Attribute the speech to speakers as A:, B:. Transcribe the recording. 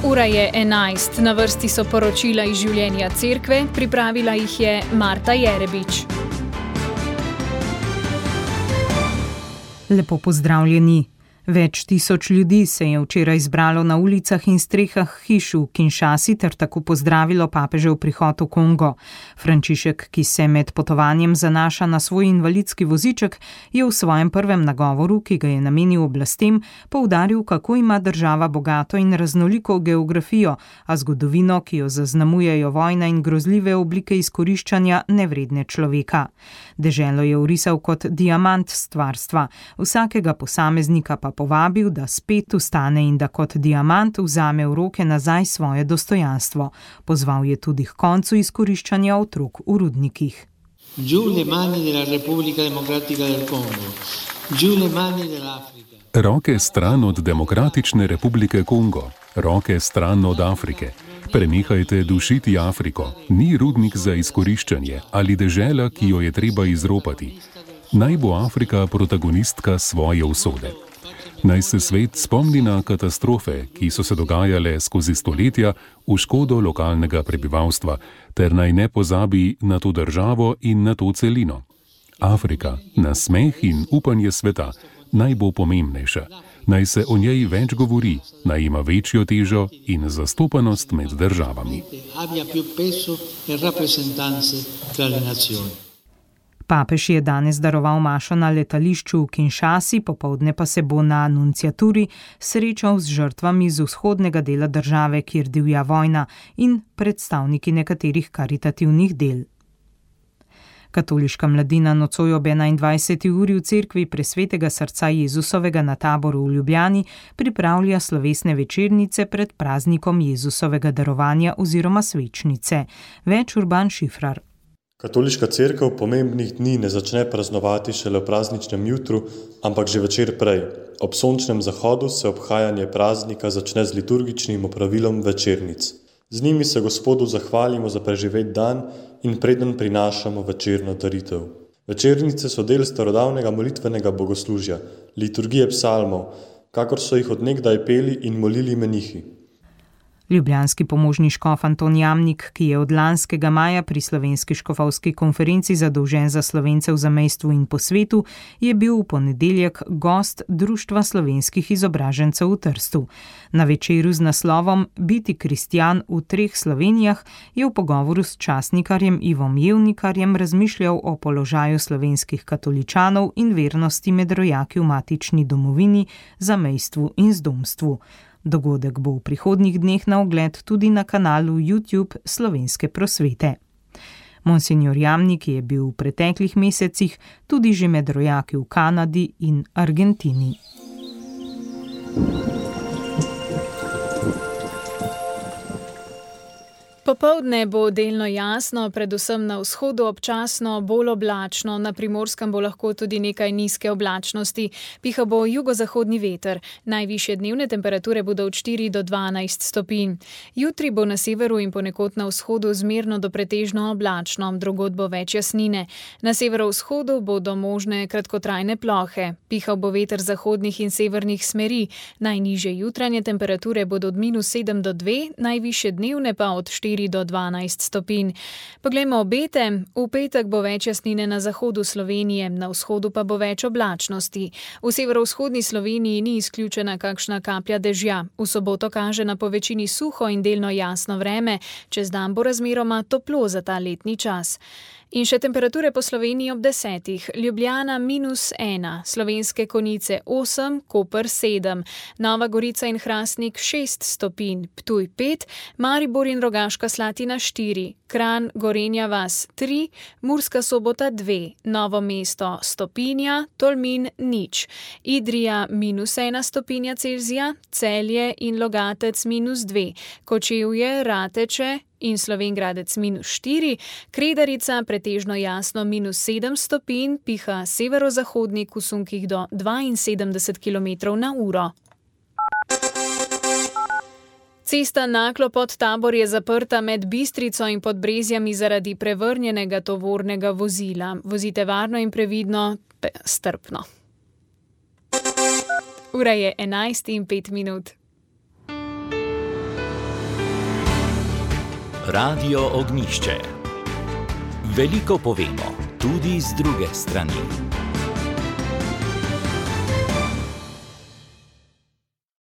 A: Ura je 11, na vrsti so poročila iz življenja cerkve, pripravila jih je Marta Jerebič.
B: Lepo pozdravljeni. Več tisoč ljudi se je včeraj zbralo na ulicah in strehah hiš v Kinshasi ter tako pozdravilo papežev prihod v Kongo. Frančišek, ki se med potovanjem zanaša na svoj invalidski voziček, je v svojem prvem nagovoru, ki ga je namenil oblastem, poudaril, kako ima država bogato in raznoliko geografijo, a zgodovino, ki jo zaznamujejo vojna in grozljive oblike izkoriščanja nevredne človeka. Deželo je orisal kot diamant stvarstva, vsakega posameznika pa povabil, da spet vstane in da kot diamant vzame v roke nazaj svoje dostojanstvo. Pozval je tudi k koncu izkoriščanja otrok v rudnikih.
C: Roke stran od Demokratične republike Kongo, roke stran od Afrike. Prenehajte dušiti Afriko. Ni rudnik za izkoriščanje ali dežela, ki jo je treba izropati. Naj bo Afrika protagonistka svoje usode. Naj se svet spomni na katastrofe, ki so se dogajale skozi stoletja v škodo lokalnega prebivalstva, ter naj ne pozabi na to državo in na to celino. Afrika, nasmeh in upanje sveta, naj bo pomembnejša. Naj se o njej več govori, naj ima večjo težo in zastopanost med državami.
B: Papež je danes daroval mašo na letališču v Kinshasi, popoldne pa se bo na nunciaturi srečal z žrtvami z vzhodnega dela države, kjer divja vojna, in predstavniki nekaterih karitativnih del. Katoliška mladina nocoj ob 21. uri v cerkvi Presvetega srca Jezusovega na Taboru v Ljubljani pripravlja slovesne večernice pred praznikom Jezusovega darovanja oziroma svečnice. Več Urban Šifrar.
D: Katoliška cerkev pomembnih dni ne začne praznovati šele v prazničnem jutru, ampak že večer prej. Ob sončnem zahodu se obhajanje praznika začne z liturgičnim opravilom večernic. Z njimi se Gospodu zahvalimo za preživet dan in preden prinašamo večerno daritev. Večernice so del starodavnega molitvenega bogoslužja, liturgije psalmov, kakor so jih od nekdaj peli in molili menihi.
B: Ljubljanski pomožni škof Anton Jamnik, ki je od lanskega maja pri Slovenski škofovski konferenci zadolžen za Slovence v zamejstvu in po svetu, je bil v ponedeljek gost Društva slovenskih izobražencev v Trstu. Na večeru z naslovom Biti kristjan v 3 Slovenijah je v pogovoru s časnikarjem Ivom Jevnikarjem razmišljal o položaju slovenskih katoličanov in vernosti med rojaki v matični domovini, zamejstvu in zdomstvu. Dogodek bo v prihodnjih dneh na ogled tudi na kanalu YouTube Slovenske prosvete. Monsignor Jamnik je bil v preteklih mesecih tudi že med rojaki v Kanadi in Argentini.
A: Popoldne bo delno jasno, predvsem na vzhodu občasno bolj oblačno, na Primorskem bo lahko tudi nekaj nizke oblačnosti, piha bo jugozahodni veter. Najvišje dnevne temperature bodo od 4 do 12 stopinj. Jutri bo na severu in ponekod na vzhodu zmerno do pretežno oblačno, drugod bo več jasnine. Na severovzhodu bodo možne kratkotrajne plohe. Pihal bo veter zahodnih in severnih smeri. Najnižje jutranje temperature bodo od -7 do 2, najvišje dnevne pa od 4 do 12 stopinj. Poglejmo obete. V petek bo več jasnine na zahodu Slovenije, na vzhodu pa bo več oblačnosti. V severovzhodni Sloveniji ni izključena kakšna kaplja dežja. V soboto kaže na povečini suho in delno jasno vreme, čez dan bo razmeroma toplo za ta letni čas. In še temperature po Sloveniji ob 10. Ljubljana -1, Slovenske Konjice 8, Koper 7, Nova Gorica in Hrastnik 6 stopinj, Ptuj 5, Maribor in Rogaška Slatina 4, Kranj, Gorenja vas 3, Murska Sobota 2, Novo mesto stopinja, Tolmin 0, Idrija -1 stopinja Celzija, Celje in Logatec -2, Kočevje, Rateče in Slovenj Gradec -4, Kredarica pretežno jasno -7 stopinj, piha severozahodnik v sunkih do 72 km/h. Cesta Naklo-Podtabor je zaprta med Bistrico in Podbrezjami zaradi prevrnjenega tovornega vozila. Vozite varno in previdno, strpno. Ura je 11:05.
E: Radio Ognjišče. Veliko povemo, tudi z druge strani.